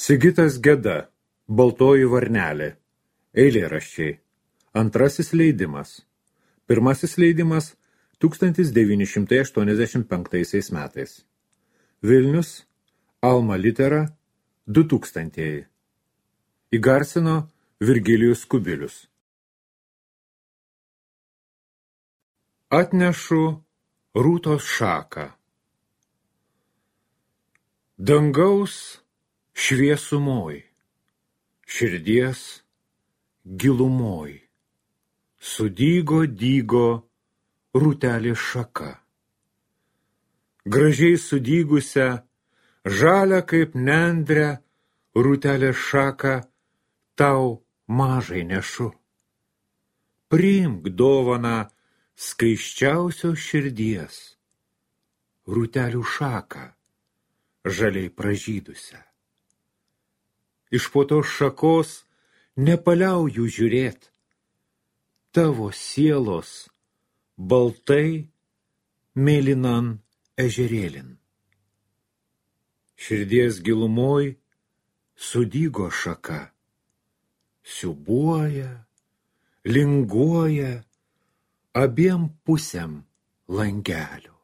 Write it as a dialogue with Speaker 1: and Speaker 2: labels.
Speaker 1: Sigitas Geda, Baltoji varnelė. Eilėraščiai. Antrasis leidimas. Pirmasis leidimas 1985 metais. Vilnius, Alma Litera, 2000. Įgarsino Virgilijus Kubilius. Atnešu rūtos šaką. Dangaus šviesumoj, širdies gilumoj, dygo rūtelė šaka. Gražiai sudygusią, žalią kaip nendrę, rūtelė šaką tau mažai nešu. Priimk dovaną skaisčiausios širdies, rūtelių šaką, žaliai pražydusią. Iš po tos šakos nepaliauju žiūrėt, tavo sielos baltai mėlynan ežerėlin. Širdies gilumoj sudygo šaka, siūbuoja, linguoja abiem pusėm langelio.